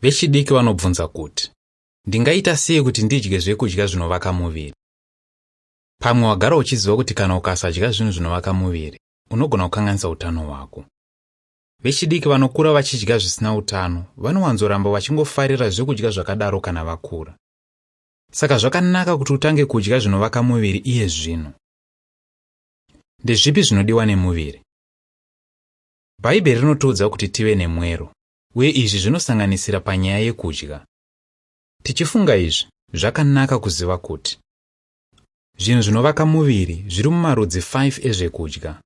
Vechidiki vanobvunza kuti, ndingaita sei kuti ndidye zvekudya zvinovaka muviri? Pamwe wagara uchiziva kuti kana ukasadya zvinhu zvinovaka muviri, unogona kukanganisa utano hwako. Vechidiki vanokura vachidya zvisina utano vanowanzoramba vachingofarira zvekudya zvakadaro kana vakura. Saka zvakanaka kuti utange kudya zvinovaka muviri iye zvino. Ndezvipi zvinodiwa nemuviri? Bhaibheri rinotiudza kuti tive nemwero, uye izvi zvinosanganisira panyaya yekudya. Tichifunga izvi, zvakanaka kuziva kuti zvinhu zvinovaka muviri zviri mumarudzi 5 ezvekudya.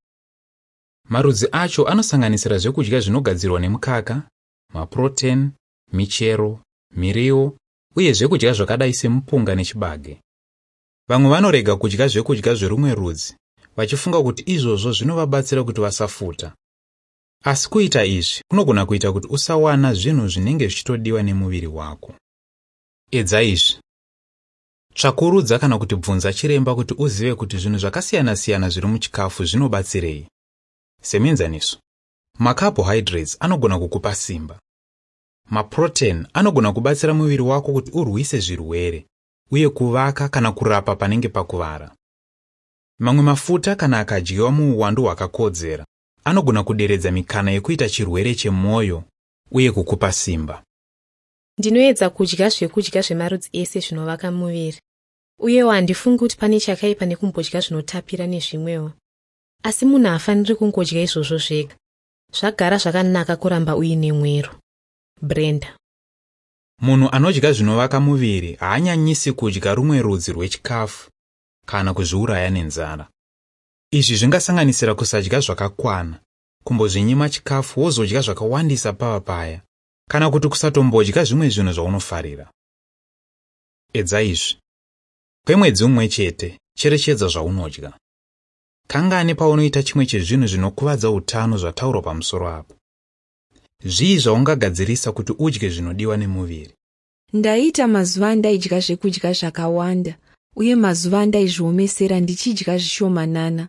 Marudzi acho anosanganisira zvekudya zvinogadzirwa nemukaka, mapuroteni, michero, miriwo uye zvekudya zvakadai semupunga nechibage. Vamwe vanorega kudya zvekudya zverumwe rudzi vachifunga kuti izvozvo zvinovabatsira kuti vasafuta. Asi kuita izvi kunogona kuita kuti usawana zvinhu zvinenge zvichitodiwa nemuviri wako. Edza izvi. Tsvakurudza kana kuti bvunza chiremba kuti uzive kuti zvinhu zvakasiyana-siyana zviri muchikafu zvinobatsirei. Semuenzaniso, macarbohydrates anogona kukupa simba. Maprotein anogona kubatsira muviri wako kuti urwise zvirwere uye kuvaka kana kurapa panenge pakuvara. Mamwe mafuta kana akadyiwa muuwandu hwakakodzera anogona kuderedza mikana yekuita chirwere chemwoyo uye kukupa simba. Ndinoedza kudya zvekudya zvemarudzi ese zvinovaka muviri. Uyewo handifungi kuti pane chakaipa nekumbodya zvinotapira nezvimwewo. Asi munhu haafaniri kungodya izvozvo zvega. Zvagara zvakanaka kuramba uine mwero. Brenda. Munhu anodya zvinovaka muviri haanyanyisi kudya rumwe rudzi rwechikafu kana kuzviuraya nenzara. Izvi zvingasanganisira kusadya zvakakwana, kumbozvinyima chikafu wozodya zvakawandisa pava paya, kana kuti kusatombodya zvimwe zvinhu zvaunofarira. Edza izvi. Kwemwedzi mumwe chete, cherechedza zvaunodya. Kangani paunoita chimwe chezvinhu zvinokuvadza utano zvataurwa pamusoro apo? Zvii zvaungagadzirisa kuti udye zvinodiwa nemuviri? Ndaiita mazuva andaidya zvekudya zvakawanda uye mazuva andaizviomesera ndichidya zvishomanana.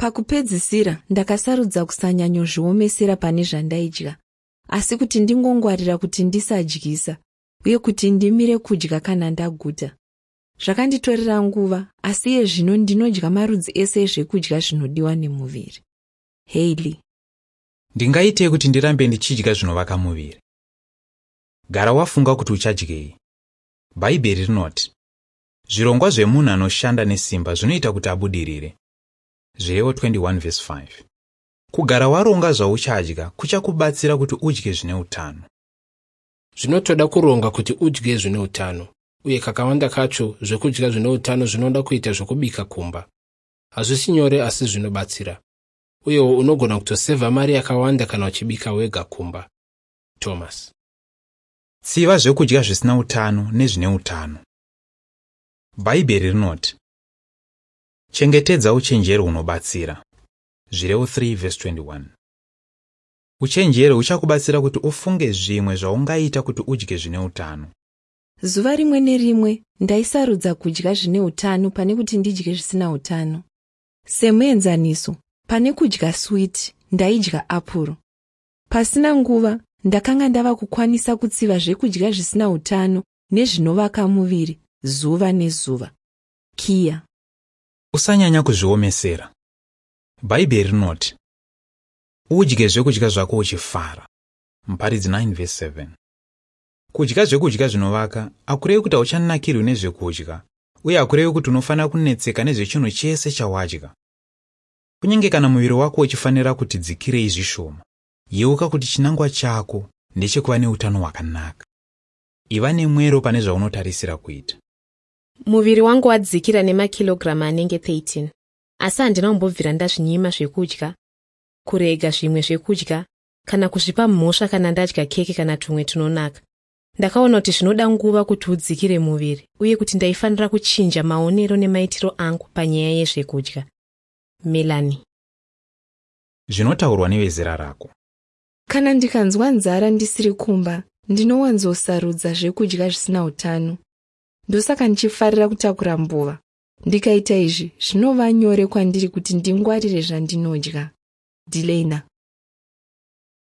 Pakupedzisira ndakasarudza kusanyanyozviomesera pane zvandaidya, asi kuti ndingongwarira kuti ndisadyisa uye kuti ndimire kudya kana ndaguta. Zvakanditorera nguva, asi iye zvino ndinodya marudzi ese ezvekudya zvinodiwa nemuviri. Hailey. Ndingaitei kuti ndirambe ndichidya zvinovaka muviri? Gara wafunga kuti uchadyei. Bhaibheri rinoti, zvirongwa zvemunhu anoshanda nesimba zvinoita kuti abudirire. Zvirevo 21:5. Kugara waronga zvauchadya kuchakubatsira kuti udye zvine utano. Zvinotoda kuronga kuti udye zvine utano, uye kakawanda kacho zvekudya zvine utano zvinoda kuita zvokubika kumba. Hazvisi nyore asi zvinobatsira. Uyewo unogona kutosevha mari yakawanda kana uchibika wega kumba. Thomas. Tsiva zvekudya zvisina utano nezvine utano. Bhaibheri rinoti, chengetedza uchenjeri hunobatsira. Zvirevo 3:21. Uchenjeri huchakubatsira kuti ufunge zvimwe zvaungaita kuti udye zvine utano. Zuva rimwe nerimwe ndaisarudza kudya zvine utano pane kuti ndidye zvisina utano. Semuenzaniso, pane kudya switi, ndaidya apuro. Pasina nguva, ndakanga ndava kukwanisa kutsiva zvekudya zvisina utano nezvinovaka muviri zuva nezuva. Kia. Usanyanya kuzviomesera. Bhaibheri rinoti, udye zvekudya zvako uchifara. Muparidzi 9:7. Kudya zvekudya zvinovaka hakurevi kuti hauchanakirwi nezvekudya, uye hakurevi kuti unofanira kunetseka nezvechinhu chese chawadya. Kunyange kana muviri wako uchifanira kuti dzikirei zvishoma, yeuka kuti chinangwa chako ndechekuva neutano hwakanaka. Iva nemwero pane zvaunotarisira kuita. Muviri wangu wadzikira nemakilogiramu anenge 13, asi handina kumbobvira ndazvinyima zvekudya, kurega zvimwe zvekudya, kana kuzvipa mhosva kana ndadya keke kana tumwe tunonaka. Ndakaona kuti zvinoda nguva kuti udzikire muviri uye kuti ndaifanira kuchinja maonero nemaitiro angu panyaya yezvekudya. Melanie. Zvinotaurwa nevezera rako. Kana ndikanzwa nzara ndisiri kumba, ndinowanzosarudza zvekudya zvisina utano. Ndosaka ndichifarira kutakura mbuva. Ndikaita izvi, zvinova nyore kwandiri kuti ndingwarire zvandinodya. Delana.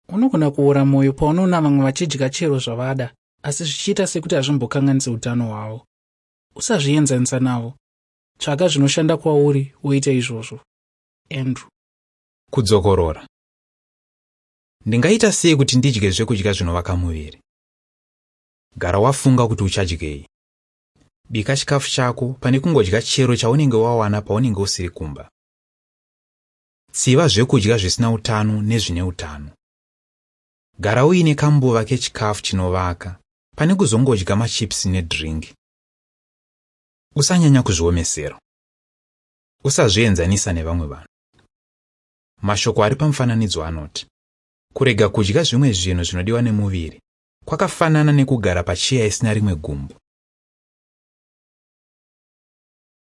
Unogona kuora mwoyo paunoona vamwe vachidya chero zvavada asi zvichiita sekuti hazvimbokanganisi utano hwavo. Usazvienzanisa navo. Tsvaka zvinoshanda kwauri woita izvozvo. Andrew. Kudzokorora. Ndingaita sei kuti ndidye zvekudya zvinovaka muviri? Gara wafunga kuti uchadyei. Bika chikafu chako pane kungodya chero chaunenge wawana paunenge usiri kumba. Tsiva zvekudya zvisina utano nezvine utano. Gara uine kambuva kechikafu chinovaka pane kuzongodya machipsi nedhiringi. Usanyanya kuzviomesera. Usazvienzanisa nevamwe vanhu. Mashoko ari pamufananidzo anoti kurega kudya zvimwe zvinhu zvinodiwa nemuviri kwakafanana nekugara pacheya isina rimwe gumbo.